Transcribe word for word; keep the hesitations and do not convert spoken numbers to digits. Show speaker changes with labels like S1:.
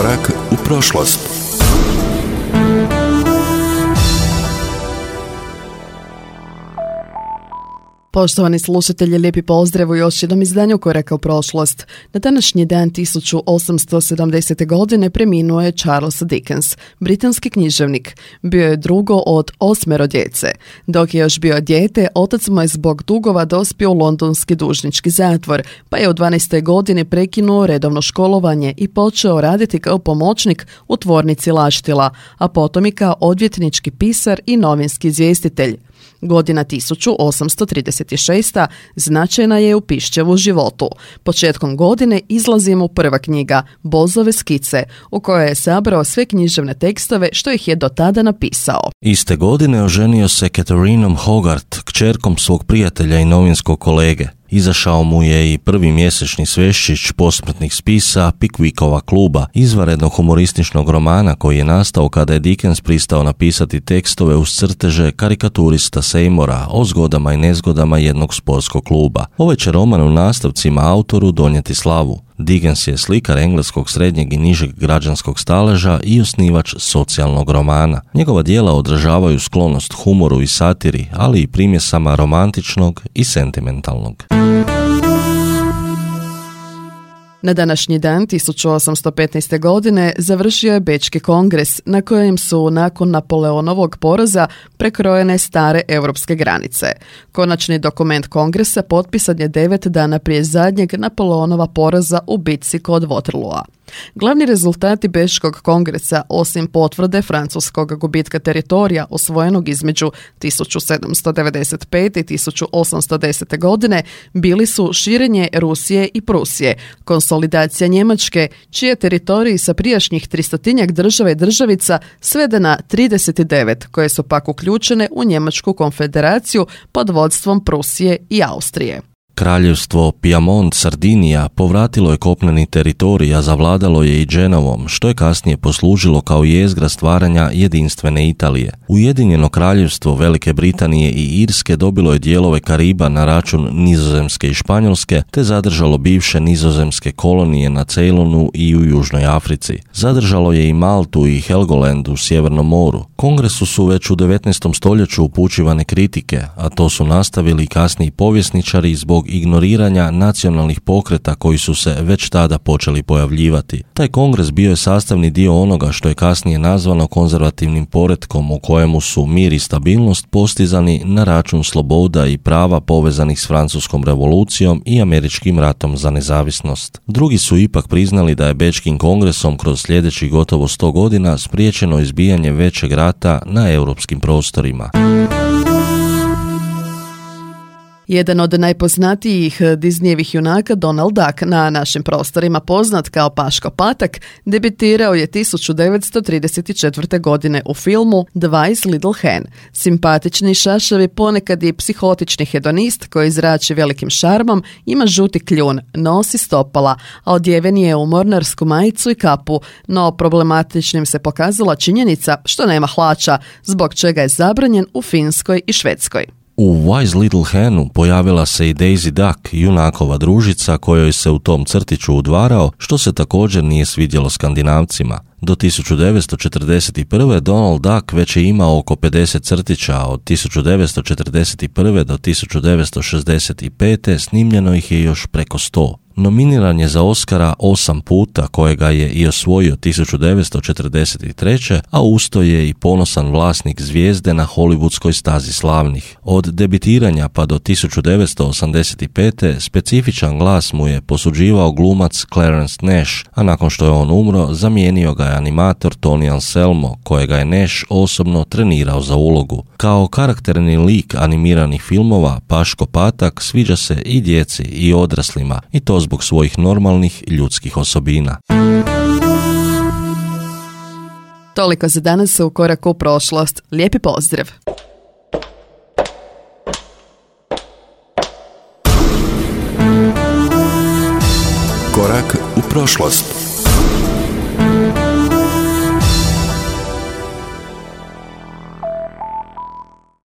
S1: Korak u prošlost.
S2: Poštovani slušatelji, lijepi pozdrav u još jednom izdanju Koraka u prošlost. Na današnji dan tisuću osamsto sedamdesete. godine preminuo je Charles Dickens, britanski književnik. Bio je drugo od osmero djece. Dok je još bio dijete, otac mu je zbog dugova dospio u londonski dužnički zatvor, pa je u dvanaestoj godini prekinuo redovno školovanje i počeo raditi kao pomoćnik u tvornici laštila, a potom i kao odvjetnički pisar i novinski izvjestitelj. Godina tisuću osamsto trideset šesta. značajna je u Piščevu životu. Početkom godine izlazi mu prva knjiga, Bozove skice, u kojoj je sabrao sve književne tekstove što ih je do tada napisao.
S3: Iste godine oženio se Catherineom Hogarth, kćerkom svog prijatelja i novinskog kolege. Izašao mu je i prvi mjesečni sveščić posmrtnih spisa Pickwickova kluba, izvanrednog humorističnog romana koji je nastao kada je Dickens pristao napisati tekstove uz crteže karikaturista Seymoura o zgodama i nezgodama jednog sportskog kluba. Ovaj će roman u nastavcima autoru donijeti slavu. Dickens je slikar engleskog srednjeg i nižeg građanskog staleža i osnivač socijalnog romana. Njegova djela odražavaju sklonost humoru i satiri, ali i primjesama romantičnog i sentimentalnog.
S2: Na današnji dan tisuću osamsto petnaeste. godine završio je Bečki kongres na kojem su nakon Napoleonovog poraza prekrojene stare europske granice. Konačni dokument kongresa potpisan je devet dana prije zadnjeg Napoleonova poraza u bitci kod Waterloova. Glavni rezultati Bečkog kongresa, osim potvrde francuskog gubitka teritorija osvojenog između tisuću sedamsto devedeset pete. i tisuću osamsto desete. godine, bili su širenje Rusije i Prusije, konsolidacija Njemačke, čije teritoriji sa prijašnjih tristotinjak država i državica svede na trideset devet, koje su pak uključene u Njemačku konfederaciju pod vodstvom Prusije i Austrije.
S3: Kraljevstvo Piemont Sardinija povratilo je kopneni teritorij, a zavladalo je i Genovom, što je kasnije poslužilo kao jezgra stvaranja jedinstvene Italije. Ujedinjeno kraljevstvo Velike Britanije i Irske dobilo je dijelove Kariba na račun Nizozemske i Španjolske, te zadržalo bivše nizozemske kolonije na Ceylonu i u Južnoj Africi. Zadržalo je i Maltu i Helgoland u Sjevernom moru. Kongresu su već u devetnaestom stoljeću upućivane kritike, a to su nastavili kasniji povjesničari zbog ignoriranja nacionalnih pokreta koji su se već tada počeli pojavljivati. Taj kongres bio je sastavni dio onoga što je kasnije nazvano konzervativnim poretkom u kojemu su mir i stabilnost postizani na račun sloboda i prava povezanih s Francuskom revolucijom i Američkim ratom za nezavisnost. Drugi su ipak priznali da je Bečkim kongresom kroz sljedećih gotovo sto godina spriječeno izbijanje većeg rata na europskim prostorima.
S2: Jedan od najpoznatijih Disneyevih junaka, Donald Duck, na našim prostorima poznat kao Paško Patak, debitirao je tisuću devetsto trideset četvrte. godine u filmu The Wise Little Hen. Simpatični šašavi, ponekad i psihotični hedonist koji zrači velikim šarmom, ima žuti kljun, nosi stopala, a odjeven je u mornarsku majicu i kapu, no problematičnim se pokazala činjenica što nema hlača, zbog čega je zabranjen u Finskoj i Švedskoj.
S3: U Wise Little Henu pojavila se i Daisy Duck, junakova družica kojoj se u tom crtiću udvarao, što se također nije svidjelo Skandinavcima. Do tisuću devetsto četrdeset prve. Donald Duck već je imao oko pedeset crtića, a od tisuću devetsto četrdeset prve. do tisuću devetsto šezdeset pete. snimljeno ih je još preko sto. Nominiran je za Oscara osam puta, kojega je i osvojio tisuću devetsto četrdeset treće. a usto je i ponosan vlasnik zvijezde na hollywoodskoj stazi slavnih. Od debitiranja pa do tisuću devetsto osamdeset pete. specifičan glas mu je posuđivao glumac Clarence Nash, a nakon što je on umro, zamijenio ga je animator Tony Anselmo, kojega je Nash osobno trenirao za ulogu. Kao karakterni lik animiranih filmova, Paško Patak sviđa se i djeci i odraslima, i to zbog svojih normalnih ljudskih osobina.
S2: Toliko za danas u Koraku u prošlost. Lijepi pozdrav!
S1: Korak u prošlost.